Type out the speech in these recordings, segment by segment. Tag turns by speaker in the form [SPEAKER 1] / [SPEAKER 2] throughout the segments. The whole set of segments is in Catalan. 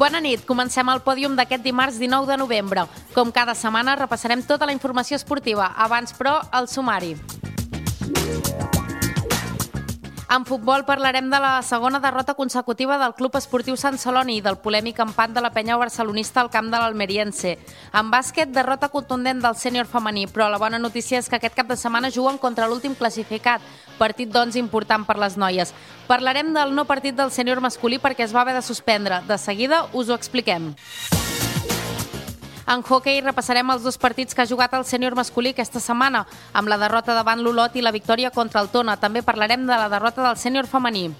[SPEAKER 1] Bona nit, comencem el pòdium d'aquest dimarts 19 de novembre. Com cada setmana repassarem tota la informació esportiva. Abans, però, el sumari. En futbol parlarem de la segona derrota consecutiva del Club Esportiu Sant Celoni i del polèmic empat de la penya barcelonista al camp de l'Almeriense. En bàsquet, derrota contundent del sènior femení, però la bona notícia és que aquest cap de setmana juguen contra l'últim classificat, partit doncs important per les noies. Parlarem del no partit del sènior masculí perquè es va haver de suspendre. De seguida us ho expliquem. En hoquei repassarem els dos partits que ha jugat el sènior masculí aquesta setmana, amb la derrota davant l'Olot i la victòria contra el Tona. També parlarem de la derrota del sènior femení.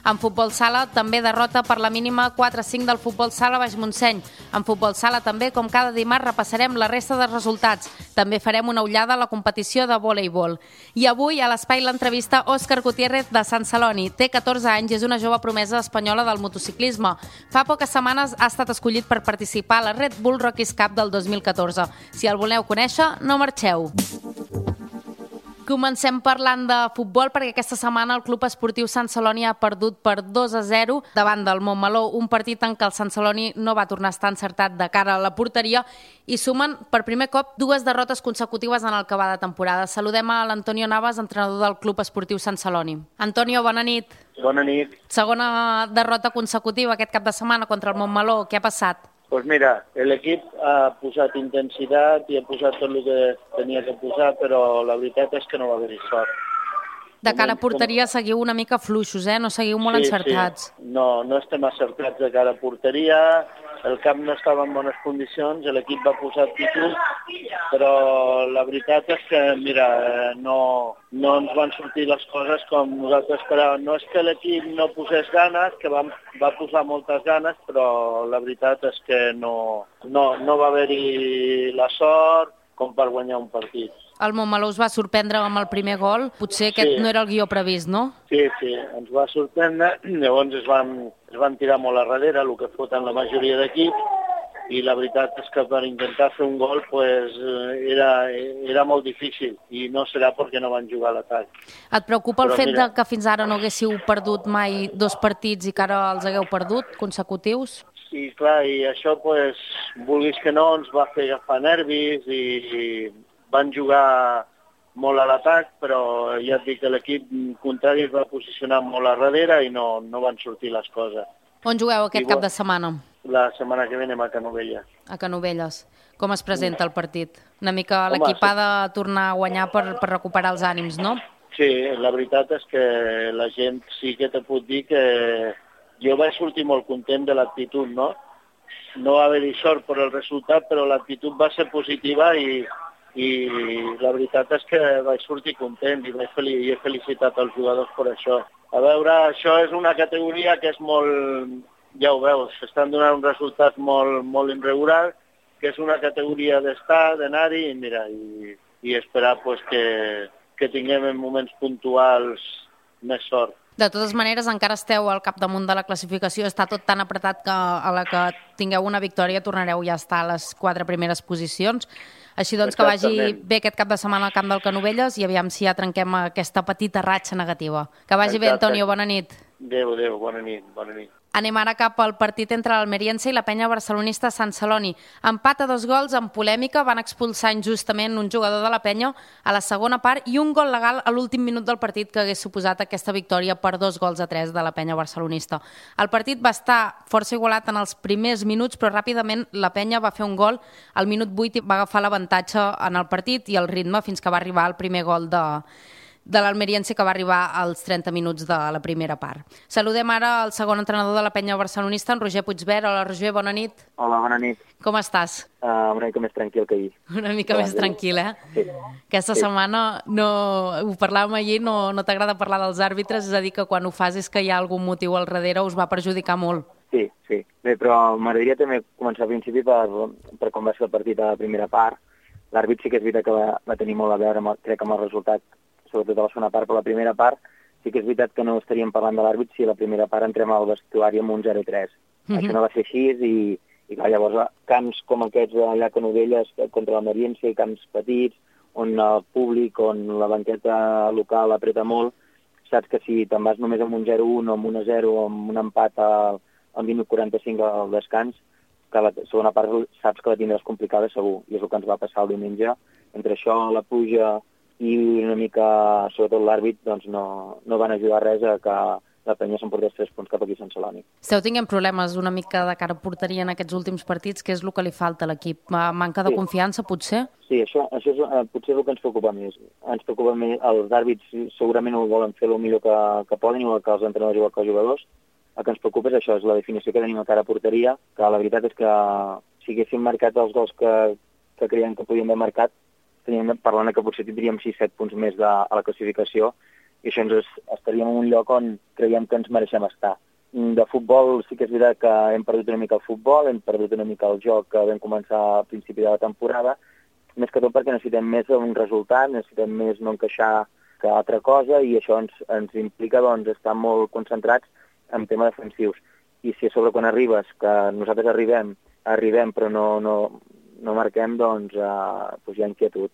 [SPEAKER 1] En futbol sala, també derrota per la mínima 4-5 del futbol sala Baix Montseny. En futbol sala també, com cada dimarts, repassarem la resta de resultats. També farem una ullada a la competició de voleibol. I avui, a l'espai l'entrevista, Òscar Gutiérrez de Sant Celoni. Té 14 anys i és una jove promesa espanyola del motociclisme. Fa poques setmanes ha estat escollit per participar a la Red Bull Rockies Cup del 2014. Si el voleu conèixer, no marxeu. Comencem parlant de futbol perquè aquesta setmana el Club Esportiu Sant Celoni ha perdut per 2-0 davant del Montmeló, un partit en què el Sant Celoni no va tornar a estar encertat de cara a la porteria i sumen per primer cop 2 derrotes consecutives en el que va de temporada. Saludem a l'Antonio Navas, entrenador del Club Esportiu Sant Celoni. Antonio, bona nit.
[SPEAKER 2] Bona nit.
[SPEAKER 1] Segona derrota consecutiva aquest cap de setmana contra el Montmeló. Què ha passat?
[SPEAKER 2] Doncs mira, l'equip ha posat intensitat i ha posat tot el que tenia que posar, però la veritat és que no va haver-hi sort.
[SPEAKER 1] De cara a porteria seguiu una mica fluixos, no seguiu molt encertats.
[SPEAKER 2] Sí. No estem acertats de cara a porteria, el camp no estava en bones condicions, l'equip va posar actitud, però la veritat és que, mira, no ens van sortir les coses com nosaltres esperàvem. No és que l'equip no posés ganes, que va posar moltes ganes, però la veritat és que no va haver-hi la sort com per guanyar un partit.
[SPEAKER 1] El Montmeló us va sorprendre amb el primer gol. Potser aquest no era el guió previst, no?
[SPEAKER 2] Sí, ens va sorprendre. Llavors es van tirar molt a darrere, el que foten la majoria d'equips, i la veritat és que per intentar fer un gol era molt difícil, i no serà perquè no van jugar a l'atac.
[SPEAKER 1] Et preocupa el fet que fins ara no haguéssiu perdut mai 2 partits i que ara els hagueu perdut consecutius?
[SPEAKER 2] Sí, clar, i això, vulguis que no, ens va fer agafar nervis i van jugar molt a l'atac, però ja et dic que l'equip contrari es va posicionar molt a darrere i no van sortir les coses.
[SPEAKER 1] On jugueu aquest cap de setmana?
[SPEAKER 2] La setmana que ve anem a Canovelles.
[SPEAKER 1] A Canovelles. Com es presenta el partit? Una mica l'equip ha de tornar a guanyar per recuperar els ànims, no?
[SPEAKER 2] Sí, la veritat és que la gent sí que te puc dir que jo vaig sortir molt content de l'actitud, no? No va haver-hi sort per el resultat, però l'actitud va ser positiva i la veritat és que vaig sortir content i he felicitat els jugadors per això. A veure, això és una categoria que és molt, ja ho veus, estan donant un resultat molt irregular, que és una categoria d'estar, d'anar-hi, i esperar que tinguem en moments puntuals més sort.
[SPEAKER 1] De totes maneres, encara esteu al capdamunt de la classificació, està tot tan apretat que a la que tingueu una victòria tornareu ja a estar a les 4 primeres posicions. Així doncs, que vagi bé aquest cap de setmana al camp del Canovelles i aviam si ja trenquem aquesta petita ratxa negativa. Que vagi bé, Antonio, bona nit.
[SPEAKER 2] Adéu, bona nit.
[SPEAKER 1] Anem ara cap al partit entre l'Almeriense i la penya barcelonista Sant Celoni. Empat a 2 gols amb polèmica, van expulsar injustament un jugador de la penya a la segona part i un gol legal a l'últim minut del partit que hagués suposat aquesta victòria per 2-3 de la penya barcelonista. El partit va estar força igualat en els primers minuts, però ràpidament la penya va fer un gol al minut 8 i va agafar l'avantatge en el partit i el ritme fins que va arribar el primer gol de l'Almeriense, que va arribar als 30 minuts de la primera part. Saludem ara el segon entrenador de la penya barcelonista, en Roger Puigvert. Hola, Roger, bona nit.
[SPEAKER 3] Hola, bona nit.
[SPEAKER 1] Com estàs?
[SPEAKER 3] Una mica més tranquil que ahir.
[SPEAKER 1] Una mica més tranquil,
[SPEAKER 3] Sí.
[SPEAKER 1] Aquesta setmana, ho parlàvem ahir, no t'agrada parlar dels àrbitres, és a dir, que quan ho fas és que hi ha algun motiu al darrere, us va perjudicar molt.
[SPEAKER 3] Sí. Bé, però m'agradaria també començar al principi per com va ser el partit a la primera part. L'àrbit sí que és veritat que va tenir molt a veure, crec, amb el resultat, sobretot a la segona part, però la primera part sí que és veritat que no estaríem parlant de l'àrbit si a la primera part entrem al vestuari amb un 0-3. Això no va ser així i clar, llavors camps com aquests allà a Canovelles contra l'Almeriense, camps petits, on el públic, on la banqueta local apreta molt, saps que si te'n vas només amb un 0-1 o amb un 1-0 o amb un empat al al minut 45 al descans, que la segona part saps que la tindràs complicada segur, i és el que ens va passar el diumenge. Entre això, la pluja i una mica, sobretot l'àrbit, doncs no van ajudar res a que la penya s'emportés 3 punts cap aquí a Sant Celoni.
[SPEAKER 1] Esteu tinguent problemes una mica de cara a porteria en aquests últims partits, que és el que li falta a l'equip? Manca de confiança, potser?
[SPEAKER 3] Sí, això és, potser és el que ens preocupa més. Ens preocupa més, els àrbits segurament ho volen fer el millor que poden, igual que els entrenadors, igual que els jugadors. El que ens preocupa és això, és la definició que tenim a cara a porteria, que la veritat és que si haguéssim marcat els gols que creiem que podíem haver marcat, parlant que potser tindríem 6-7 punts més a la classificació, i això estaríem en un lloc on creiem que ens mereixem estar. De futbol sí que és veritat que hem perdut una mica el futbol, hem perdut una mica el joc que vam començar a principi de la temporada, més que tot perquè necessitem més un resultat, necessitem més no encaixar que altra cosa, i això ens implica doncs, estar molt concentrats en temes defensius. I si a sobre quan arribes, que nosaltres arribem però no marquem, doncs hi ha inquietud.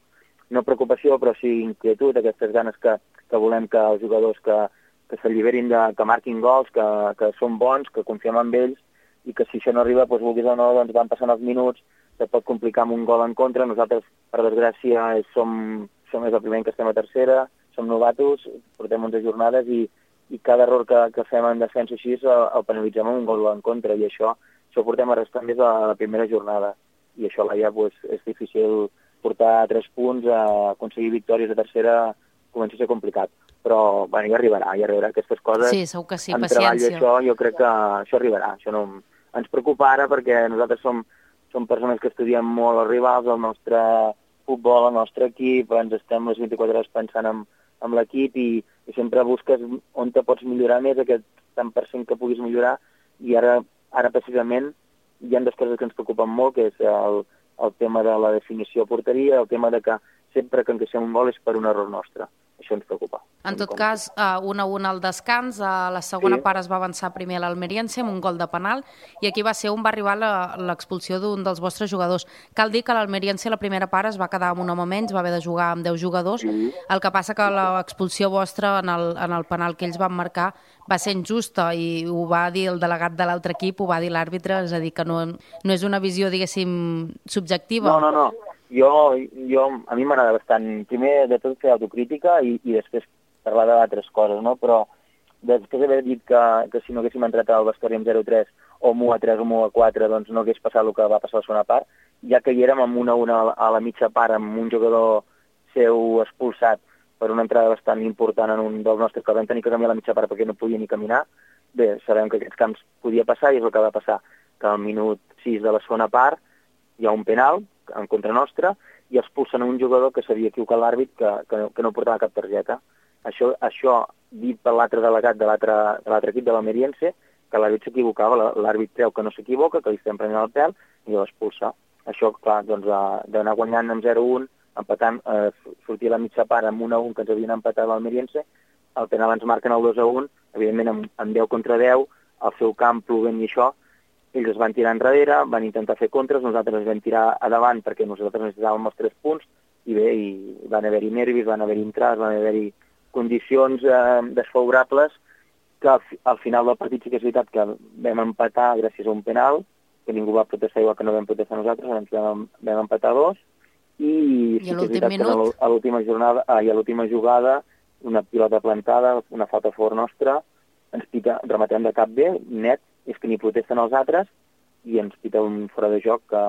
[SPEAKER 3] No preocupació, però sí inquietud, aquestes ganes que volem que els jugadors que s'alliberin, que marquin gols, que són bons, que confiem en ells, i que si això no arriba, doncs, vulguis o no, doncs van passant els minuts, se pot complicar amb un gol en contra. Nosaltres, per desgràcia, som el primer any que estem a tercera, som novatos, portem 11 jornades i cada error que fem en defensa així el penalitzem amb un gol en contra, i això ho portem arrastrant des de la primera jornada. I això ja és difícil portar 3 punts, aconseguir victòries a tercera comença a ser complicat. Però ja arribarà aquestes coses.
[SPEAKER 1] Sí, segur que sí,
[SPEAKER 3] en
[SPEAKER 1] paciència.
[SPEAKER 3] Treball això, jo crec que això arribarà. Això no ens preocupa ara perquè nosaltres som persones que estudiem molt els rivals, el nostre futbol, el nostre equip, ens estem les 24 hores pensant en l'equip i sempre busques on te pots millorar més, aquest tant per cent que puguis millorar, i ara precisament hi ha 2 coses que ens preocupen molt, que és el tema de la definició a porteria, el tema de que sempre que encaixem un gol és per un error nostre. Això ens preocupa.
[SPEAKER 1] En tot cas, 1-1 al descans, a la segona part es va avançar primer a l'Almeriense amb un gol de penal, i aquí va arribar l'expulsió d'un dels vostres jugadors. Cal dir que l'Almeriense la primera part es va quedar amb un home menys, va haver de jugar amb 10 jugadors, el que passa que l'expulsió vostra en el penal que ells van marcar va ser injusta, i ho va dir el delegat de l'altre equip, ho va dir l'àrbitre, és a dir, que no és una visió, diguéssim, subjectiva.
[SPEAKER 3] No. A mi m'agrada bastant, primer de tot fer autocrítica i després parlar d'altres coses, no? Però després d'haver dit que si no haguéssim entrat al vestuari amb 0-3 o amb 1-3 o amb 1-4, doncs no hagués passat el que va passar a la segona part, ja que hi érem amb 1-1 a la mitja part, amb un jugador seu expulsat per una entrada bastant important en un dels nostres, que vam tenir que canviar la mitja part perquè no podia ni caminar. Bé, sabem que aquests camps podia passar, i és el que va passar, que al minut 6 de la segona part hi ha un penal en contra nostra i expulsen un jugador que s'havia equivocat l'àrbit, que no portava cap targeta. Això dit per l'altre delegat de l'altre equip de l'Almeriense, que l'àrbit s'equivocava, l'àrbit creu que no s'equivoca, que li estem prenent el pèl, i l'expulsa. Això, clar, doncs, d'anar guanyant amb 0-1, empatant, sortir a la mitja part amb 1-1 que ens havien empatat l'Almeriense, el penal ens marquen el 2-1, evidentment amb 10 contra 10, al seu camp plovent i això, ells es van tirar enrere, van intentar fer contres, nosaltres ens vam tirar a davant perquè nosaltres necessitàvem els 3 punts, i bé, van haver-hi nervis, van haver-hi entrades, van haver-hi condicions desfavorables, que al final del partit sí que és veritat que vam empatar gràcies a un penal, que ningú va protestar igual que no vam protestar nosaltres, vam empatar 2, i sí que és veritat que a l'última jugada, una pilota plantada, una falta a favor nostra, ens rematem de cap bé, net, és que ni protesten els altres, i ens pita un fora de joc que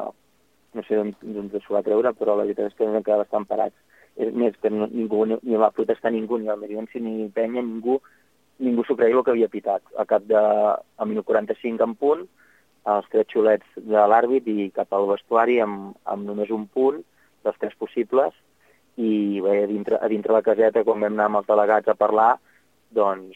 [SPEAKER 3] no sé d'on s'ho va treure, però la veritat és que vam quedar bastant parats. És més, que ningú ni va protestar ningú, ni l'Almeriense ni Penya, ningú s'ho creia el que havia pitat. Al minut 45 en punt, els 3 xulets de l'àrbit i cap al vestuari amb només un punt, dels 3 possibles, i bé, a dintre la caseta, quan vam anar amb els delegats a parlar, doncs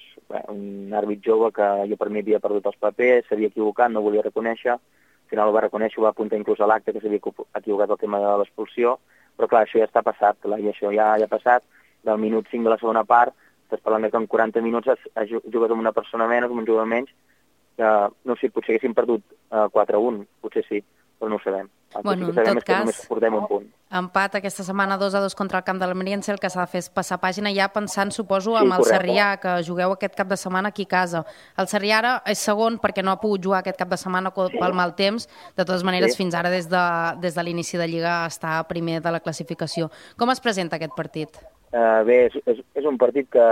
[SPEAKER 3] un àrbit jove que jo per mi havia perdut els papers, s'havia equivocat, no volia reconèixer, al final ho va reconèixer, ho va apuntar inclús a l'acte que s'havia equivocat el tema de l'expulsió, però clar, això ja està passat, i això ja ha passat, del minut 5 de la segona part, estàs parlant que en 40 minuts has jugat amb una persona menys, amb un jugador menys, no sé, potser haguéssim perdut 4-1, potser sí, però no ho sabem.
[SPEAKER 1] Bueno,
[SPEAKER 3] sí que
[SPEAKER 1] en
[SPEAKER 3] sabem
[SPEAKER 1] tot
[SPEAKER 3] és que
[SPEAKER 1] cas,
[SPEAKER 3] només portem un punt.
[SPEAKER 1] empat aquesta setmana 2-2 contra el camp de l'Almeriense, el que s'ha de fer és passar pàgina ja pensant, suposo,
[SPEAKER 3] Sí,
[SPEAKER 1] amb el
[SPEAKER 3] correcte.
[SPEAKER 1] Sarrià, que jugueu aquest cap de setmana aquí a casa. El Sarrià ara és segon perquè no ha pogut jugar aquest cap de setmana pel mal temps. De totes maneres, fins ara, des de l'inici de Lliga, està primer de la classificació. Com es presenta aquest partit?
[SPEAKER 3] Bé, és un partit que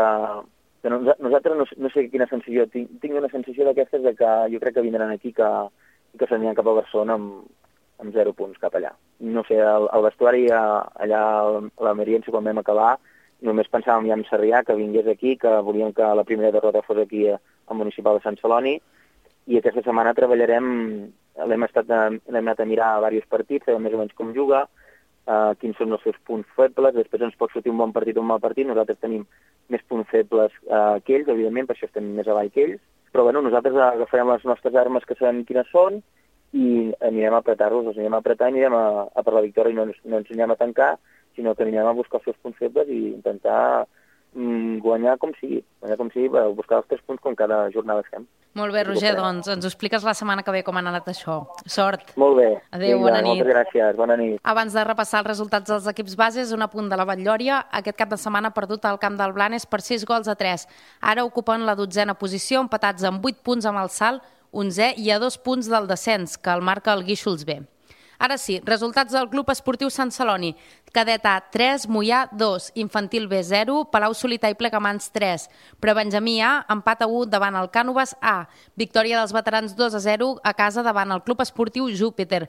[SPEAKER 3] nosaltres no sé quina sensació, tinc una sensació d'aquestes de que jo crec que vindran aquí que s'aniran cap a Barcelona amb 0 punts cap allà. No sé, el vestuari allà a l'Almeriense quan vam acabar, només pensàvem ja en Sarrià, que vingués aquí, que volíem que la primera derrota fos aquí al municipal de Sant Celoni, i aquesta setmana treballarem, l'hem anat a mirar diversos partits, sabem més o menys com juga, quins són els seus punts febles, després ens pot sortir un bon partit o un mal partit, nosaltres tenim més punts febles que ells, evidentment, per això estem més avall que ells, però bueno, nosaltres agafarem les nostres armes que sabem quines són i anirem a apretar-los, els anirem a apretar i anirem a per la victòria i no ens anirem a tancar, sinó que anirem a buscar els seus punts febles i intentar guanyar com sigui per buscar els 3 punts com cada jornada fem.
[SPEAKER 1] Molt bé, Roger, doncs ens ho expliques la setmana que ve com ha anat això. Sort.
[SPEAKER 3] Molt bé.
[SPEAKER 1] Adéu, bona nit.
[SPEAKER 3] Moltes gràcies, bona nit.
[SPEAKER 1] Abans de repassar els resultats dels equips bases, un apunt de la Batllòria. Aquest cap de setmana ha perdut al camp del Blanes per 6-3. Ara ocupen la 12a posició, empatats amb 8 punts amb el Salt, 11è i a 2 punts del descens, que el marca el Guíxols B. Ara sí, resultats del Club Esportiu Sant Celoni. Cadet A 3, Moià 2, Infantil B 0, Palau Solità i Plegamans 3, Prebenjamí A, empat a 1 davant el Cànoves A, victòria dels veterans 2-0 a casa davant el Club Esportiu Júpiter,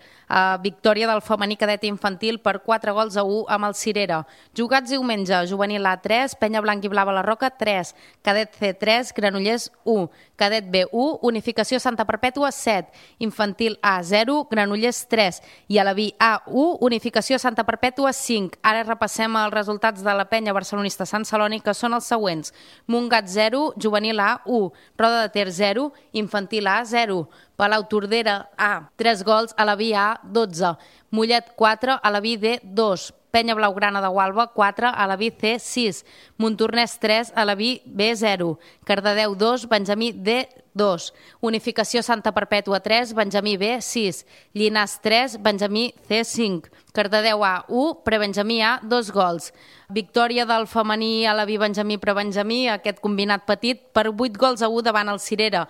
[SPEAKER 1] victòria del femení cadet infantil per 4-1 amb el Cirera. Jugats diumenge, Juvenil A 3, Penya Blanc i Blava la Roca 3, Cadet C 3, Granollers 1, Cadet B 1, Unificació Santa Perpètua 7, Infantil A 0, Granollers 3 i a la B A1, Unificació Santa Perpètua 5. Ara repassem els resultats de la penya barcelonista Sant Celoni, que són els següents. Montgat 0, Juvenil A 1, Roda de Ter 0, Infantil A 0, Palau Tordera A 3 gols, a la B A 12, Mollet 4, a la B D 2, Penya Blaugrana de Gualba 4, a la B C 6, Montornès 3, a la B B 0, Cardedeu 2, Benjamí D 2, Unificació Santa Perpètua 3, Benjamí B 6, Llinàs 3, Benjamí C 5, Cardedeu A 1, Prebenjamí A 2 gols. Victòria del femení a la B Benjamí Prebenjamí, aquest combinat petit, per 8-1 davant el Cirera.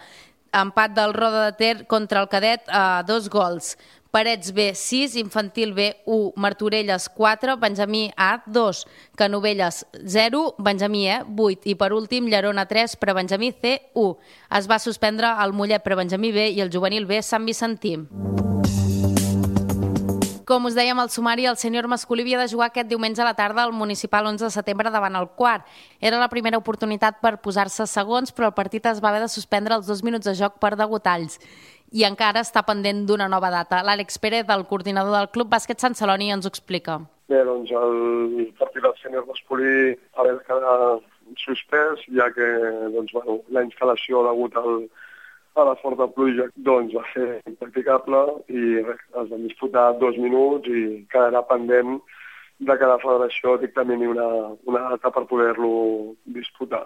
[SPEAKER 1] Empat del Roda de Ter contra el cadet a 2 gols. Parets B 6, Infantil B 1, Martorelles 4, Benjamí A 2, Canovelles 0, Benjamí E 8 i per últim Llerona 3, Prebenjamí C 1. Es va suspendre el Mollet Prebenjamí B i el Juvenil B Sant Vicentí. Com us dèiem al sumari, el sènior masculí havia de jugar aquest diumenge a la tarda al municipal 11 de setembre davant el Quart. Era la primera oportunitat per posar-se segons, però el partit es va haver de suspendre els 2 minuts de joc per degotalls. I encara està pendent d'una nova data. L'Àlex Pérez, el coordinador del Club Bàsquet Sant Celoni, ens ho explica.
[SPEAKER 4] Bé, doncs el partit del sènior masculí ha de quedar suspès, ja que doncs, bueno, la instal·lació degut a la forta pluja doncs, va ser impracticable i res, es van disputar 2 minuts i quedarà pendent de que la federació dictamini una data per poder-lo disputar.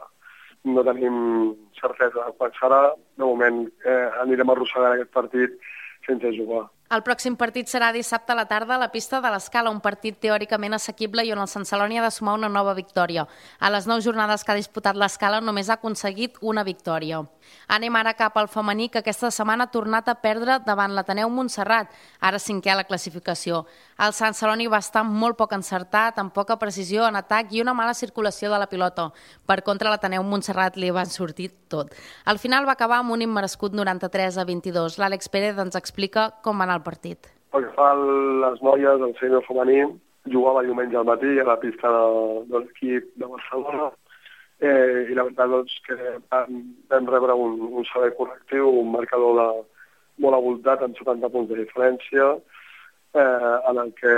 [SPEAKER 4] No tenim certesa de quan serà. De moment anirem arrossegant aquest partit sense jugar.
[SPEAKER 1] El pròxim partit serà dissabte a la tarda a la pista de l'Escala, un partit teòricament assequible i on el Sant Celoni ha de sumar una nova victòria. A les 9 jornades que ha disputat l'Escala només ha aconseguit una victòria. Anem ara cap al femení, que aquesta setmana ha tornat a perdre davant l'Ateneu Montserrat, ara 5è a la classificació. El Sant Celoni va estar molt poc encertat, amb poca precisió en atac i una mala circulació de la pilota. Per contra, l'Ateneu Montserrat li va sortir tot. Al final va acabar amb un immerescut 93-22. L'Àlex Pérez ens explica com va anar el partit.
[SPEAKER 4] Pel que fa a les noies, el sènior femení jugava diumenge al matí a la pista de l'equip de Barcelona i la veritat doncs, que vam rebre un servei correctiu, un marcador de molt avoltat amb 70 punts de diferència, en el que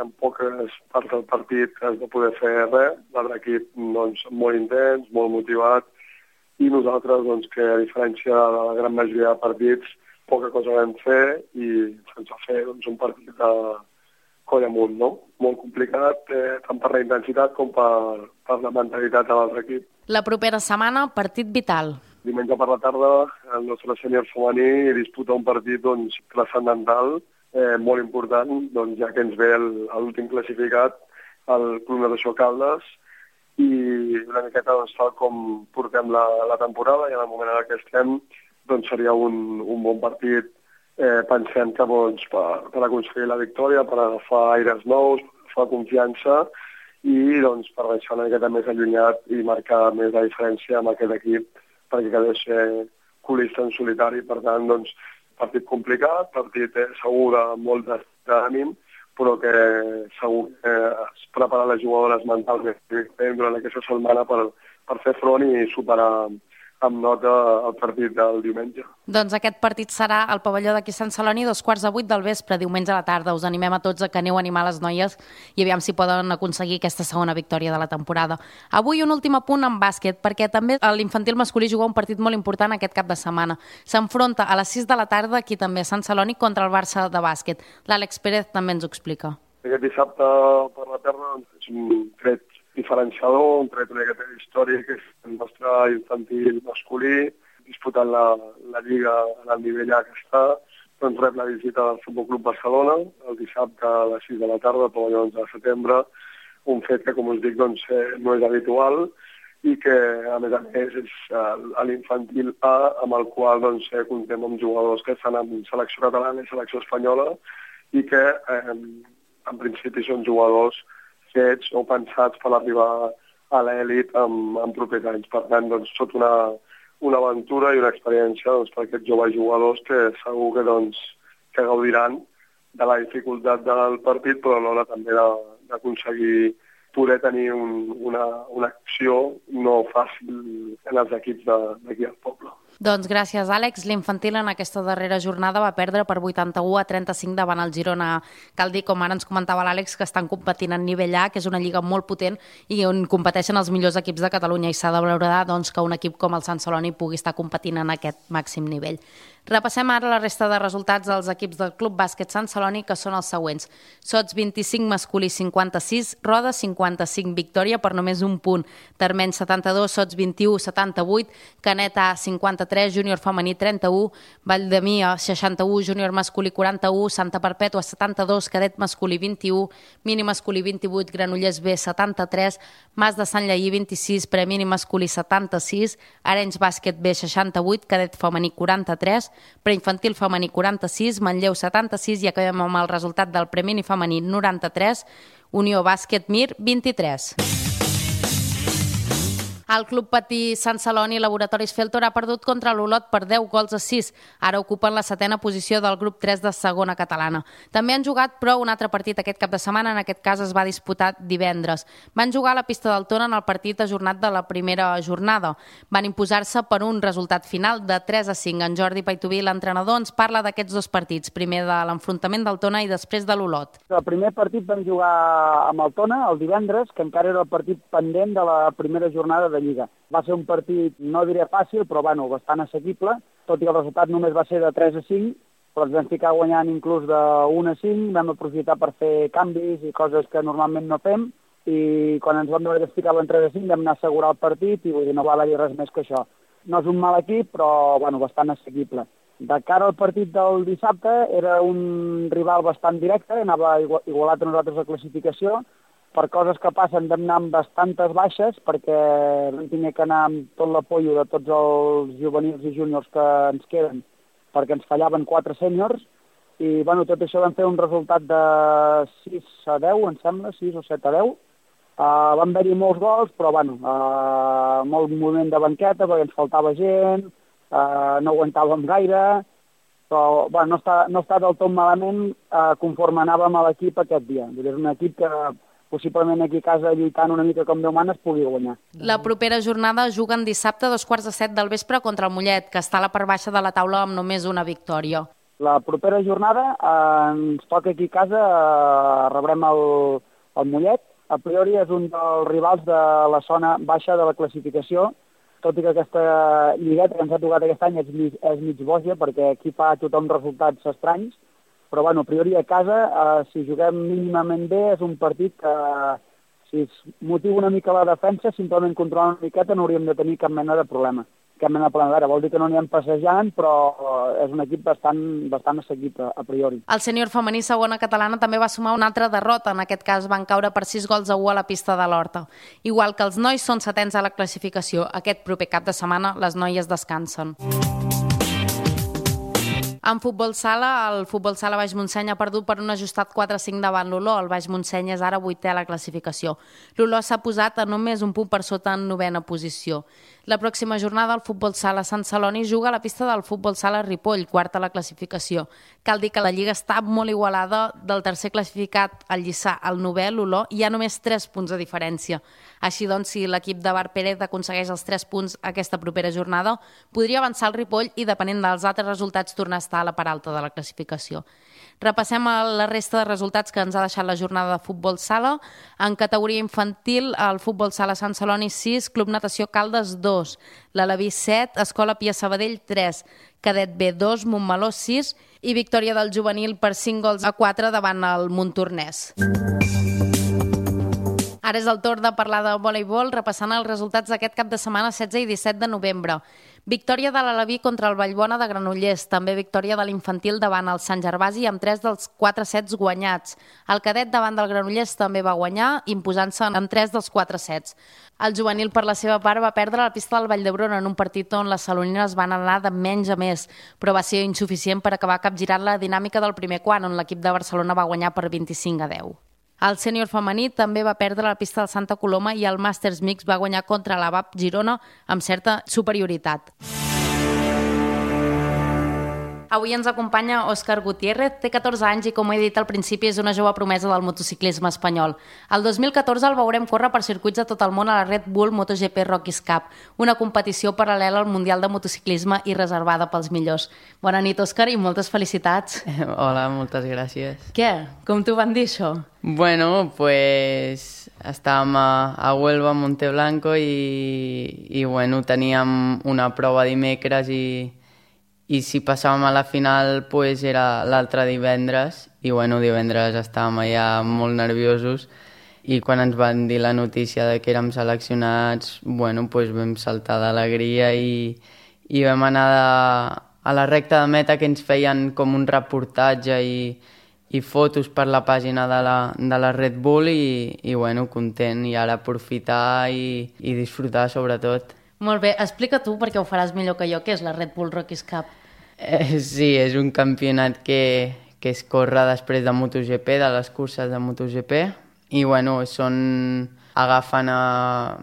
[SPEAKER 4] en poques parts del partit es va poder fer res. L'altre equip doncs, molt intens, molt motivat, i nosaltres, doncs, que a diferència de la gran majoria de partits, poca cosa vam fer i se'ns va fer doncs, un partit de coll amunt, no? Molt complicat, tant per la intensitat com per la mentalitat de l'altre equip.
[SPEAKER 1] La propera setmana, partit vital.
[SPEAKER 4] Diumenge per la tarda, el nostre sènior femení disputa un partit doncs, transcendental molt important, doncs, ja que ens ve l'últim classificat, el Club Natació Caldes, i una miqueta doncs, tal com portem la temporada i en el moment en què estem doncs, seria un bon partit. Pensem que doncs, per aconseguir la victòria, per agafar aires nous, per agafar confiança i doncs, per deixar una miqueta més allunyat i marcar més la diferència amb aquest equip perquè quedés colista en solitari. Per tant, doncs, partit complicat, partit segur de molt d'ànim, però que segur que es prepara les jugadores mentalment durant aquesta setmana per fer front i superar amb nota el partit del diumenge.
[SPEAKER 1] Doncs aquest partit serà al pavelló d'aquí Sant Celoni 7:15 del vespre, diumenge a la tarda. Us animem a tots a que aneu a animar les noies i aviam si poden aconseguir aquesta segona victòria de la temporada. Avui un últim apunt en bàsquet, perquè també l'infantil masculí juga un partit molt important aquest cap de setmana. S'enfronta a les 6 de la tarda, aquí també a Sant Celoni, contra el Barça de bàsquet. L'Àlex Pérez també ens ho explica.
[SPEAKER 4] Aquest dissabte per la tarda és un tret diferenciador, un tret una miqueta històric, que és el nostre infantil masculí, disputant la Lliga en el nivell A que està, doncs rep la visita del Futbol Club Barcelona el dissabte a les 6 de la tarda, el pavelló 11 de setembre, un fet que, com us dic, doncs, no és habitual i que, a més, és l'infantil A, amb el qual doncs, comptem amb jugadors que estan en selecció catalana i selecció espanyola i que, en principi, són jugadors fets o pensats per arribar a l'elit en propers anys. Per tant, doncs, tot una aventura i una experiència doncs, per aquests joves jugadors que segur que, doncs, que gaudiran de la dificultat del partit, però alhora també d'aconseguir poder tenir una acció no fàcil en els equips d'aquí al poble.
[SPEAKER 1] Doncs gràcies, Àlex. L'infantil en aquesta darrera jornada va perdre per 81-35 davant el Girona. Cal dir, com ara ens comentava l'Àlex, que estan competint en nivell A, que és una lliga molt potent i on competeixen els millors equips de Catalunya, i s'ha de valorar doncs, que un equip com el Sant Celoni pugui estar competint en aquest màxim nivell. Repassem ara la resta de resultats dels equips del Club Bàsquet Sant Celoni, que són els següents. Sots 25, masculí 56, Roda 55, victòria per només un punt. Termeny 72, Sots 21, 78, Canet A 53, júnior femení 31, Valldemia 61, júnior masculí 41, Santa Perpètua 72, cadet masculí 21, mini masculí 28, Granollers B 73, Mas de Sant Lleí 26, premini masculí 76, Arenys Bàsquet B 68, cadet femení 43, preinfantil femení 46, Manlleu 76 i acabem amb el resultat del premini femení 93, Unió Bàsquet Mir 23. El Club Patí Sant Celoni Laboratoris Feltor ha perdut contra l'Olot per 10-6. Ara ocupen la 7a posició del grup 3 de segona catalana. També han jugat, però, un altre partit aquest cap de setmana. En aquest cas es va disputar divendres. Van jugar a la pista del Tona en el partit ajornat de la primera jornada. Van imposar-se per un resultat final de 3-5. En Jordi Paituví, l'entrenador, ens parla d'aquests dos partits. Primer de l'enfrontament del Tona i després de l'Olot.
[SPEAKER 5] El primer partit vam jugar amb el Tona el divendres, que encara era el partit pendent de la primera jornada de Lliga. Va ser un partit, no diré fàcil, però bastant assequible, tot i que el resultat només va ser de 3-5, però ens vam ficar guanyant inclús de 1-5, vam aprofitar per fer canvis i coses que normalment no fem, i quan ens vam veure que es ficava en 3-5 vam anar a assegurar el partit i vull dir, no va haver-hi res més que això. No és un mal equip, però bastant assequible. De cara al partit del dissabte era un rival bastant directe, anava igualat a nosaltres a classificació. Per coses que passen vam anar amb bastantes baixes perquè vam tenir que anar amb tot l'apollo de tots els juvenils i júniors que ens queden perquè ens fallaven 4 sèniors i tot això vam fer un resultat de 6-10, em sembla, 6 o 7-10. Van haver-hi molts gols, però molt moviment de banqueta perquè ens faltava gent, no aguantàvem gaire, però no està del tot malament conforme anàvem a l'equip aquest dia. És un equip que possiblement aquí a casa lluitant una mica com Déu mana es pugui guanyar.
[SPEAKER 1] La propera jornada juguen dissabte a 7:15 del vespre contra el Mollet, que està a la part baixa de la taula amb només una victòria.
[SPEAKER 5] La propera jornada ens toca aquí a casa, rebrem el Mollet. A priori és un dels rivals de la zona baixa de la classificació, tot i que aquesta lligueta que ens ha tocat aquest any és mig boja, perquè aquí fa tothom resultats estranys, però a priori a casa, si juguem mínimament bé, és un partit que, si es motiva una mica la defensa, simplement controlant una miqueta no hauríem de tenir cap mena de problema. que hem anat planant. Vol dir que no n'hi hem passejant, però és un equip bastant assequible, a priori.
[SPEAKER 1] El sènior femení segona catalana també va sumar una altra derrota. En aquest cas van caure per 6-1 a la pista de l'Horta. Igual que els nois són setens a la classificació. Aquest proper cap de setmana les noies descansen. En futbol sala, el futbol sala Baix Montseny ha perdut per un ajustat 4-5 davant l'Oló. El Baix Montseny és ara 8è a la classificació. L'Oló s'ha posat a només un punt per sota en 9ª posició. La pròxima jornada el futbol sala Sant Celoni juga a la pista del futbol sala Ripoll, 4ª a la classificació. Cal dir que la lliga està molt igualada. Del tercer classificat, el Lliçà, al 9è, l'Oló, hi ha només 3 punts de diferència. Així doncs, si l'equip de Bar Pérez aconsegueix els 3 punts aquesta propera jornada, podria avançar el Ripoll i, depenent dels altres resultats, tornar a estar a la part alta de la classificació. Repassem la resta de resultats que ens ha deixat la jornada de futbol sala. En categoria infantil, el futbol sala Sant Celoni 6, Club Natació Caldes 2, l'Aleví 7, Escola Pia Sabadell 3, Cadet B 2, Montmeló 6 i victòria del juvenil per 5-4 davant el Montornès. Ara és el torn de parlar de voleibol, repassant els resultats d'aquest cap de setmana 16 i 17 de novembre. Victòria de l'Aleví contra el Vallbona de Granollers, també victòria de l'infantil davant el Sant Gervasi amb 3 dels 4 sets guanyats. El cadet davant del Granollers també va guanyar, imposant-se en 3 dels 4 sets. El juvenil, per la seva part, va perdre la pista del Vall d'Hebron en un partit on les salonines van anar de menys a més, però va ser insuficient per acabar capgirant la dinàmica del primer quart, on l'equip de Barcelona va guanyar per 25-10. El sènior femení també va perdre la pista del Santa Coloma i el Màsters Mix va guanyar contra l'ABAP Girona amb certa superioritat. Avui ens acompanya Òscar Gutiérrez, té 14 anys i, com he dit al principi, és una jove promesa del motociclisme espanyol. El 2014 el veurem córrer per circuits de tot el món a la Red Bull MotoGP Rockies Cup, una competició paral·lela al Mundial de Motociclisme i reservada pels millors. Bona nit, Òscar, i moltes felicitats.
[SPEAKER 6] Hola, moltes gràcies.
[SPEAKER 1] Què? Com t'ho van dir, això?
[SPEAKER 6] Bueno, pues estàvem a Huelva, a Monteblanco, i bueno, teníem una prova dimecres i si passàvem a la final pues era l'altre divendres i bueno, divendres estàvem allà molt nerviosos i quan ens van dir la notícia de que érem seleccionats, bueno, pues vam saltar d'alegria i vam anar a la recta de meta que ens feien com un reportatge i fotos per la pàgina de la Red Bull i bueno, content i ara aprofitar i disfrutar sobretot.
[SPEAKER 1] Molt bé, explica tu perquè ho faràs millor que jo, què és la Red Bull Rockies Cup?
[SPEAKER 6] Sí, és un campionat que es corre després de MotoGP, de les curses de MotoGP, i bueno, agafen a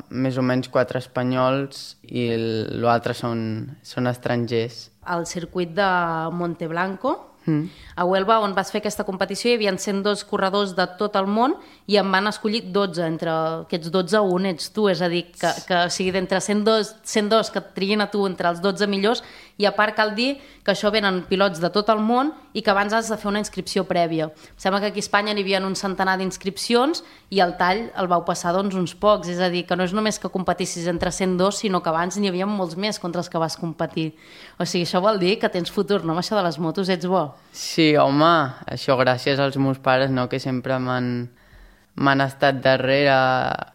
[SPEAKER 6] més o menys 4 espanyols i l'altre són estrangers.
[SPEAKER 1] Al circuit de Monteblanco, a Huelva, on vas fer aquesta competició, hi havia 102 corredors de tot el món i en van escollir 12. Entre aquests 12, un ets tu, és a dir, que o sigui, d'entre 102 que et trien a tu entre els 12 millors, i a part cal dir que això venen pilots de tot el món i que abans has de fer una inscripció prèvia. Em sembla que aquí a Espanya n'hi havia un centenar d'inscripcions i el tall el vau passar doncs uns pocs, és a dir, que no és només que competissis entre 102, sinó que abans n'hi havia molts més contra els que vas competir. O sigui, això vol dir que tens futur, no? Amb això de les motos ets bo.
[SPEAKER 6] Sí, home, això gràcies als meus pares, no?, que sempre m'han estat darrere,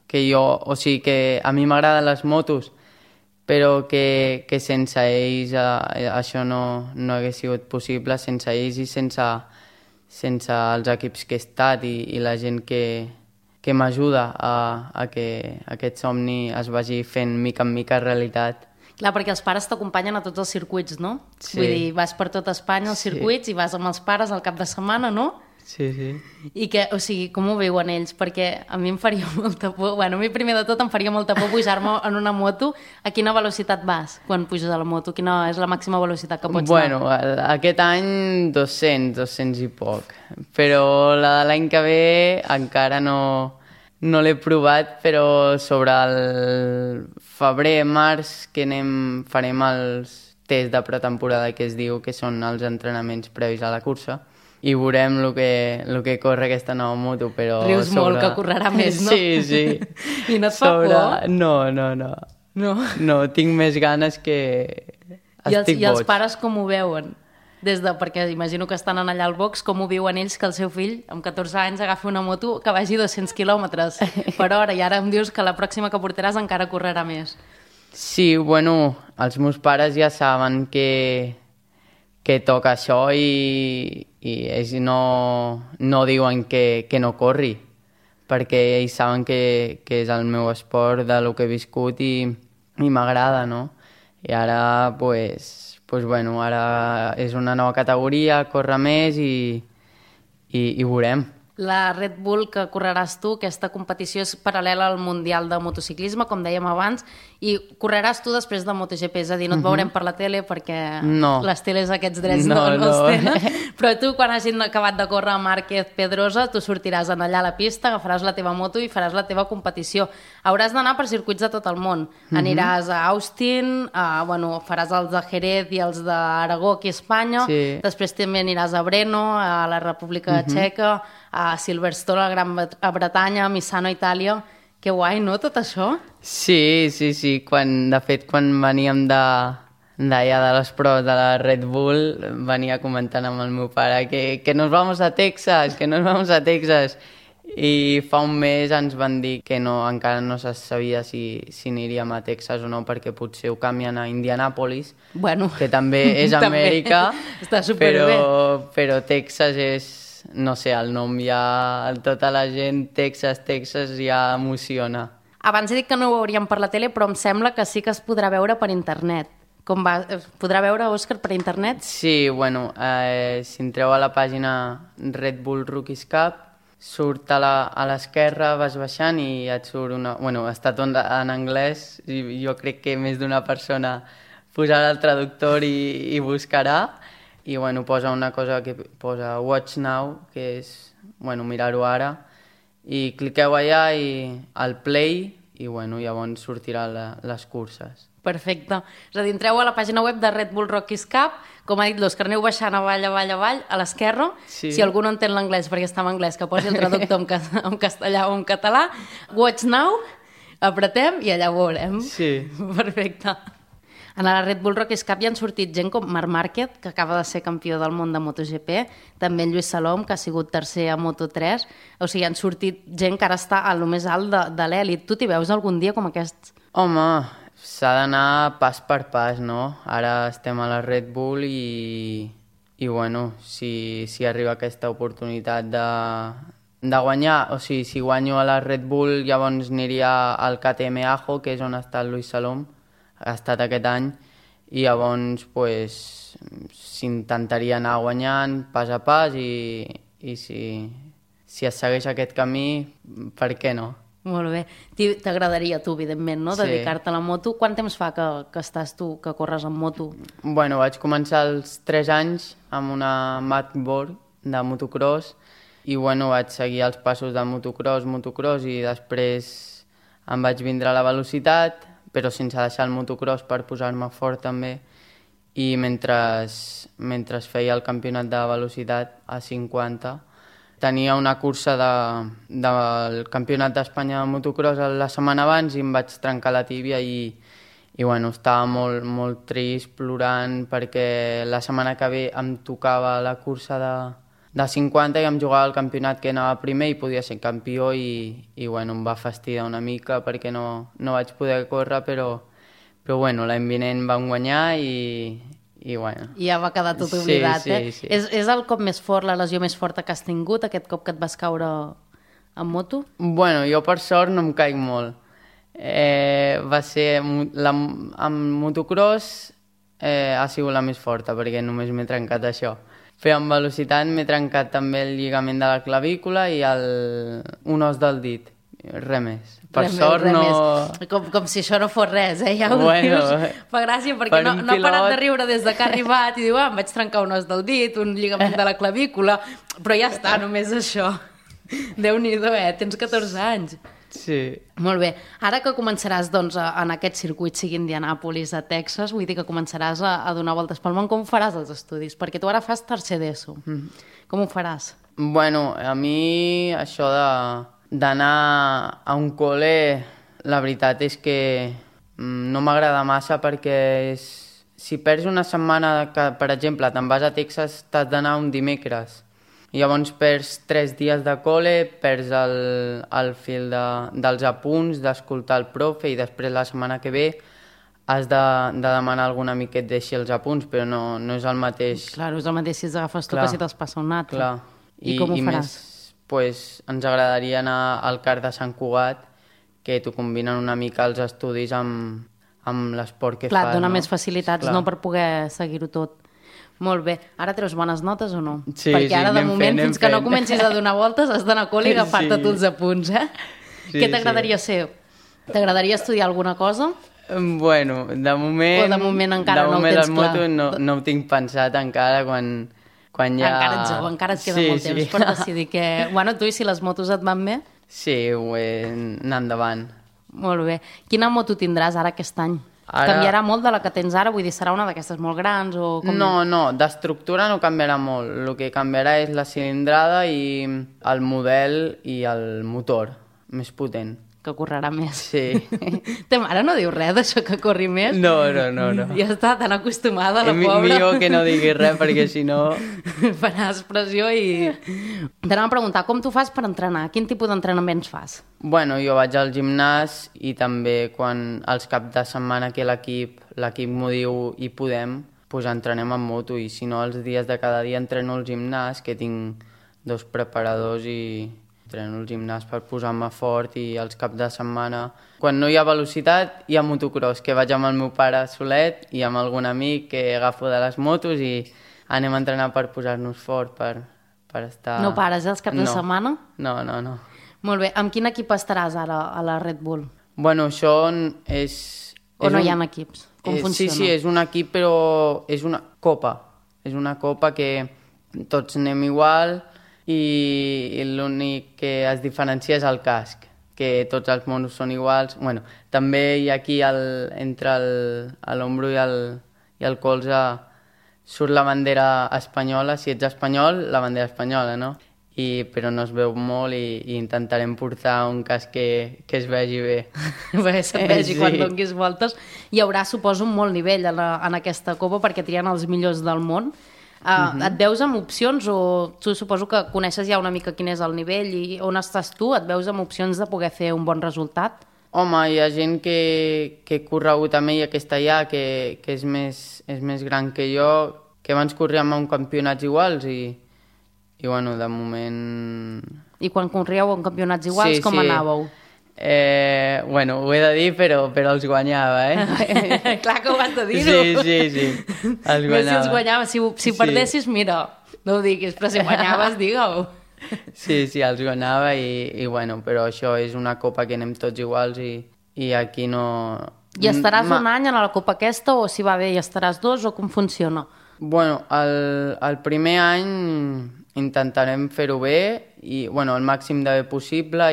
[SPEAKER 6] que jo, o sigui, que a mi m'agraden les motos, però que sense ells això no hagués sigut possible, sense ells i sense els equips que he estat i la gent que m'ajuda a que aquest somni es vagi fent mica en mica realitat.
[SPEAKER 1] Clar, perquè els pares t'acompanyen a tots els circuits, no?
[SPEAKER 6] Sí.
[SPEAKER 1] Vull dir, vas per tot Espanya als circuits i vas amb els pares al cap de setmana, no?
[SPEAKER 6] Sí, sí.
[SPEAKER 1] I que, o sigui, com ho veuen ells? Perquè a mi em faria molta por, bueno, a mi primer de tot em faria molta por pujar-me en una moto. A quina velocitat vas quan puges a la moto? Quina és la màxima velocitat que pots anar?
[SPEAKER 6] Bueno, aquest any 200 i poc. Però la de l'any que ve encara no l'he provat, però sobre el febrer, març, que farem els tests de pretemporada que es diu, que són els entrenaments previs a la cursa, i veurem el que corre aquesta nova moto, però...
[SPEAKER 1] Rius molt, que correrà més, no?
[SPEAKER 6] Sí, sí.
[SPEAKER 1] I no et fa por?
[SPEAKER 6] No. No, tinc més ganes que... Estic boig.
[SPEAKER 1] I els pares com ho veuen? Perquè imagino que estan allà al box, com ho viuen ells que el seu fill amb 14 anys agafi una moto que vagi 200 quilòmetres per hora i ara em dius que la pròxima que portaràs encara correrà més.
[SPEAKER 6] Sí, bueno, els meus pares ja saben que toca això i ells no diuen que no corri, perquè ells saben que és el meu esport, de lo que he viscut i m'agrada, no? I ara, bueno, ara és una nova categoria, córrer més i veurem.
[SPEAKER 1] La Red Bull que correràs tu, aquesta competició és paral·lela al Mundial de Motociclisme, com dèiem abans, i correràs tu després de MotoGP, és a dir, no et veurem per la tele perquè les teles aquests drets no els tenen, però tu quan hagin acabat de córrer Márquez Pedrosa, tu sortiràs allà a la pista, agafaràs la teva moto i faràs la teva competició. Hauràs d'anar per circuits de tot el món. Aniràs a Austin, faràs els de Jerez i els d'Aragó aquí a Espanya, després també aniràs a Brno, a la República Txeca, a Silverstone, a Gran Bretanya, a Misano, a Itàlia. Que guai, no, tot això?
[SPEAKER 6] Sí. De fet, quan veníem d'allà de les proves de la Red Bull, venia comentant amb el meu pare que nos vamos a Texas, I fa un mes ens van dir que encara no se sabia si aniríem a Texas o no, perquè potser ho canvien a Indianàpolis, que també és Amèrica,
[SPEAKER 1] està superbé.
[SPEAKER 6] Però Texas és... No sé, el nom ja... Tota la gent, Texas ja emociona.
[SPEAKER 1] Abans he dit que no ho veuríem per la tele, però em sembla que sí que es podrà veure per internet. Com va? Es podrà veure, Òscar, per internet?
[SPEAKER 6] Sí, bueno, si entreu a la pàgina Red Bull Rookies Cup, surt a l'esquerra, vas baixant i et surt una... Bueno, està tot en anglès, i jo crec que més d'una persona posarà el traductor i buscarà. I bueno, posa una cosa que posa Watch Now, que és mirar-ho ara, i cliqueu allà i al play i llavors sortiran les curses.
[SPEAKER 1] Perfecte. És a dir, entreu a la pàgina web de Red Bull Rookies Cup, com ha dit l'Òscar, aneu baixant avall, a l'esquerra, si algú no entén l'anglès perquè està en anglès, que posi el traductor en castellà o en català, Watch Now, apretem i allà ho veurem.
[SPEAKER 6] Sí.
[SPEAKER 1] Perfecte. En la Red Bull Rookies Cup hi han sortit gent com Marc Márquez, que acaba de ser campió del món de MotoGP, també en Lluís Salom, que ha sigut tercer a Moto3, o sigui, han sortit gent que ara està a lo més alt de l'èlit. Tu t'hi veus algun dia com aquests?
[SPEAKER 6] Home, s'ha d'anar pas per pas, no? Ara estem a la Red Bull i si arriba aquesta oportunitat de guanyar, o sigui, si guanyo a la Red Bull, llavors aniria al KTM Ajo, que és on està el Lluís Salom, ha estat aquest any, i llavors s'intentaria anar guanyant pas a pas i si es segueix aquest camí, per què no?
[SPEAKER 1] Molt bé. T'agradaria tu, evidentment, no? Dedicar-te a la moto. Quant temps fa que estàs tu, que corres amb moto?
[SPEAKER 6] Bueno, vaig començar als 3 anys amb una Matchboard de motocross i vaig seguir els passos de motocross i després em vaig vindre a la velocitat, però sense deixar el motocross per posar-me fort també, i mentre feia el campionat de velocitat a 50 tenia una cursa del campionat d'Espanya de motocross la setmana abans i em vaig trencar la tíbia i estava molt, molt trist, plorant, perquè la setmana que ve em tocava la cursa de 50 i em jugava el campionat que anava primer i podia ser campió i em va fastidiar una mica perquè no vaig poder córrer, però l'any vinent vam guanyar i
[SPEAKER 1] ja va quedar tot oblidat,
[SPEAKER 6] sí.
[SPEAKER 1] És el cop més fort, la lesió més forta que has tingut, aquest cop que et vas caure en moto?
[SPEAKER 6] Bueno, jo per sort no em caic molt. Va ser... amb motocross ha sigut la més forta perquè només m'he trencat això. Però amb velocitat m'he trencat també el lligament de la clavícula i un os del dit. Res més. Per sort no...
[SPEAKER 1] Com si això no fos res, ja ho dius. Fa gràcia perquè no ha parat de riure des que ha arribat i diu, em vaig trencar un os del dit, un lligament de la clavícula, però ja està, només això. Déu-n'hi-do, tens 14 anys.
[SPEAKER 6] Sí.
[SPEAKER 1] Molt bé. Ara que començaràs en aquest circuit, sigui Indianàpolis, a Texas, vull dir que començaràs a donar voltes pel món, com faràs els estudis? Perquè tu ara fas tercer d'ESO. Com ho faràs?
[SPEAKER 6] Bueno, a mi això d'anar a un col·le, la veritat és que no m'agrada massa perquè si perds una setmana que, per exemple, te'n vas a Texas, t'has d'anar un dimecres. I llavors perds 3 dies de col·le, perds el fil dels apunts, d'escoltar el profe i després la setmana que ve has de demanar a algun amic que et deixi els apunts, però no és el mateix.
[SPEAKER 1] Clar, és el mateix si els agafes tu que si te'ls passa un altre.
[SPEAKER 6] Clar.
[SPEAKER 1] I com ho faràs?
[SPEAKER 6] Més, pues, ens agradaria anar al CAR de Sant Cugat, que t'ho combinen una mica els estudis amb l'esport que fas.
[SPEAKER 1] Clar, et dona més facilitats, no, per poder seguir-ho tot. Molt bé. Ara treus bones notes o no?
[SPEAKER 6] Sí,
[SPEAKER 1] perquè ara, de moment, fins que no comencis a donar voltes, has d'anar a col·le i agafar-te tu els apunts, eh? Què t'agradaria ser? T'agradaria estudiar alguna cosa?
[SPEAKER 6] Bueno, de moment...
[SPEAKER 1] O de moment encara no ho tens clar?
[SPEAKER 6] De moment no ho tinc pensat encara, quan ja...
[SPEAKER 1] Encara ets jove, encara et queda molt temps per decidir que... Bueno, tu, i si les motos et van bé?
[SPEAKER 6] Sí, anar endavant.
[SPEAKER 1] Molt bé. Quina moto tindràs ara aquest any? Canviarà molt de la que tens ara? Vull dir, serà una d'aquestes molt grans o...
[SPEAKER 6] No, d'estructura no canviarà molt. El que canviarà és la cilindrada i el model i el motor més potent.
[SPEAKER 1] Que correrà més.
[SPEAKER 6] Sí.
[SPEAKER 1] Ta mare no diu res d'això que corri més?
[SPEAKER 6] No.
[SPEAKER 1] Ja està tan acostumada, la pobra.
[SPEAKER 6] Millor que no diguis res, perquè si no...
[SPEAKER 1] Faràs pressió i... T'anava a preguntar, com tu fas per entrenar? Quin tipus d'entrenaments fas?
[SPEAKER 6] Bueno, jo vaig al gimnàs i també quan els caps de setmana que l'equip m'ho diu i podem, doncs entrenem en moto, i si no els dies de cada dia entreno al gimnàs, que tinc 2 preparadors i entreno al gimnàs per posar-me fort, i els caps de setmana, quan no hi ha velocitat, hi ha motocross, que vaig amb el meu pare solet i amb algun amic que agafo de les motos i anem a entrenar per posar-nos fort, per estar...
[SPEAKER 1] No pares, els caps de setmana?
[SPEAKER 6] No.
[SPEAKER 1] Molt bé. Amb quin equip estaràs ara a la Red Bull?
[SPEAKER 6] Bueno, això és...
[SPEAKER 1] O no hi ha equips? Com funciona?
[SPEAKER 6] Sí, és un equip, però és una copa. És una copa que tots anem igual, i l'únic que es diferencia és el casc, que tots els monos són iguals. Bueno, també hi ha aquí entre l'ombro i el colze surt la bandera espanyola. Si ets espanyol, la bandera espanyola, no? Però no es veu molt, i intentarem portar un casc que es vegi bé.
[SPEAKER 1] Bé, se't vegi quan donguis voltes. Hi haurà, suposo, un molt nivell en aquesta copa, perquè trien els millors del món. Et veus amb opcions, o tu suposo que coneixes ja una mica quin és el nivell i on estàs tu? Et veus amb opcions de poder fer un bon resultat?
[SPEAKER 6] Home, hi ha gent que he corregut amb ella, que està allà, que és més gran que jo, que abans corríem en campionats iguals, i bueno, de moment...
[SPEAKER 1] I quan corríeu en campionats iguals, com anàveu?
[SPEAKER 6] Bueno, ho he de dir, però els guanyava,
[SPEAKER 1] Clar que ho has de dir-ho.
[SPEAKER 6] Sí, els guanyava.
[SPEAKER 1] Si els guanyava, si perdessis, mira, no ho diguis, però si guanyaves, digue-ho.
[SPEAKER 6] Sí, els guanyava, i bueno, però això és una copa que anem tots iguals, i aquí no...
[SPEAKER 1] I estaràs un any a la copa aquesta, o si va bé hi estaràs 2, o com funciona?
[SPEAKER 6] Bueno, el primer any intentarem fer-ho bé, i bueno, el màxim de bé possible,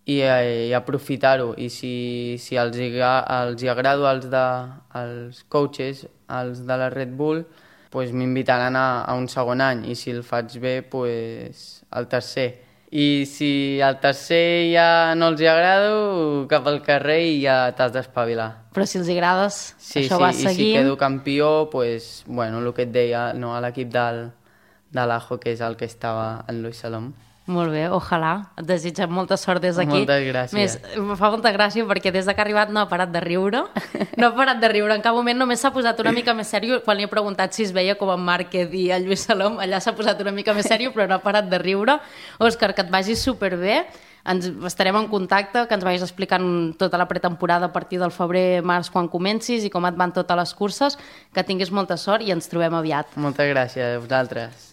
[SPEAKER 6] i aprofitar-ho, i si els hi agrado als coaches, els de la Red Bull, pues m'invitaran a un segon any, i si el faig bé, pues al tercer. I si al tercer ja no els hi agrado, cap al carrer i ja t'has d'espavilar.
[SPEAKER 1] Però si els agrades, això va seguint...
[SPEAKER 6] I si quedo campió, pues, bueno, el que et deia, no, a l'equip de l'Ajo, que és el que estava en Luis Salom.
[SPEAKER 1] Molt bé, ojalà. Et desitgem molta sort des d'aquí.
[SPEAKER 6] Moltes gràcies.
[SPEAKER 1] Més, em fa molta gràcia perquè des que ha arribat no ha parat de riure. No ha parat de riure. En cap moment només s'ha posat una mica més sèrio. Quan li he preguntat si es veia com en Márquez i el Lluís Salom, allà s'ha posat una mica més sèrio, però no ha parat de riure. Òscar, que et vagi superbé. Estarem en contacte, que ens vagis explicant tota la pretemporada a partir del febrer-març quan comencis i com et van totes les curses. Que tinguis molta sort i ens trobem aviat.
[SPEAKER 6] Moltes gràcies a vosaltres.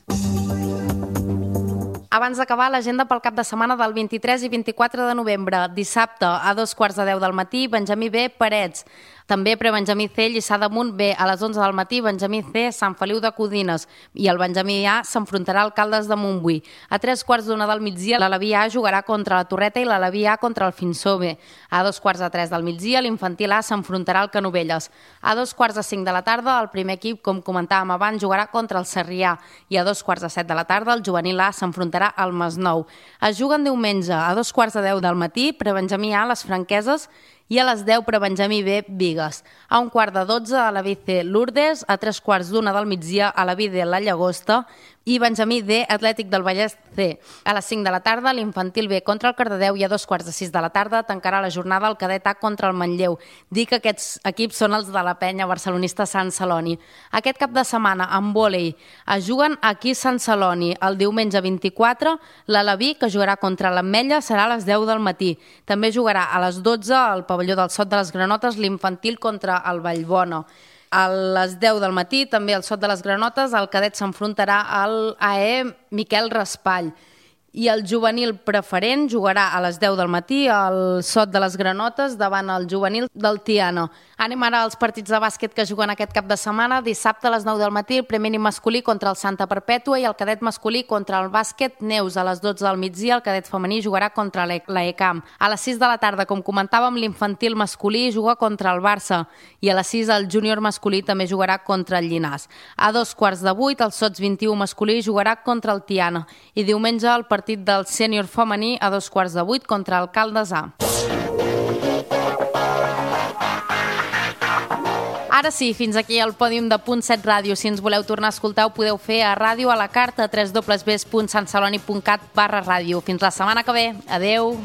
[SPEAKER 1] Abans d'acabar, l'agenda pel cap de setmana del 23 i 24 de novembre. Dissabte, a 2:15 del matí, Benjamí B, Parets. També pre-Benjamí C, Lliçà d'Amunt B. A les 11 del matí, Benjamí C, Sant Feliu de Codines. I el Benjamí A s'enfrontarà al Caldes de Montbui. A 3:15 del migdia, l'Aleví A jugarà contra la Torreta i l'Aleví A contra el Finsó B. A 2:45 del migdia, l'Infantil A s'enfrontarà al Canovelles. A 4:45 de la tarda, el primer equip, com comentàvem abans, jugarà contra el Sarrià. I a 2:45 de la tarda, el Juvenil A s'enfrontarà al Masnou. Es juguen diumenge a 2:10 del matí, pre-Benjamí A, les Franqueses, i a les 10 pre-Benjamí B, Bigues. A 11:45 a la Vice Lourdes, a 3:15 del migdia a la Vide La Llagosta, i Benjamí D, Atlètic del Vallès C. A les 5 de la tarda, l'Infantil B contra el Cardedeu i a 2:45 de la tarda tancarà la jornada el Cadet A contra el Manlleu. Dic que aquests equips són els de la penya barcelonista Sant Celoni. Aquest cap de setmana, en vòlei, es juguen aquí a Sant Celoni. El diumenge 24, l'Alaví, que jugarà contra l'Ametlla, serà a les 10 del matí. També jugarà a les 12 al pavelló del Sot de les Granotes l'Infantil contra el Vallbona. A les 10 del matí, també al Sot de les Granotes, el cadet s'enfrontarà al AE Miquel Raspall. I el juvenil preferent jugarà a les 10 del matí al Sot de les Granotes davant el juvenil del Tiana. Anem ara als partits de bàsquet que juguen aquest cap de setmana. Dissabte a les 9 del matí el femení masculí contra el Santa Perpètua i el cadet masculí contra el bàsquet Neus. A les 12 del migdia el cadet femení jugarà contra l'ECAM. A les 6 de la tarda, com comentàvem, l'infantil masculí juga contra el Barça i a les 6 el júnior masculí també jugarà contra el Llinàs. A 7:15 el Sots 21 masculí jugarà contra el Tiana i diumenge el partit del sènior femení a 7:15 contra el Caldes A. Ara sí, fins aquí el pòdium de Punt 7 Ràdio. Si ens voleu tornar a escoltar, ho podeu fer a ràdio a la carta www.santceloni.cat/ràdio. Fins la setmana que ve. Adeu!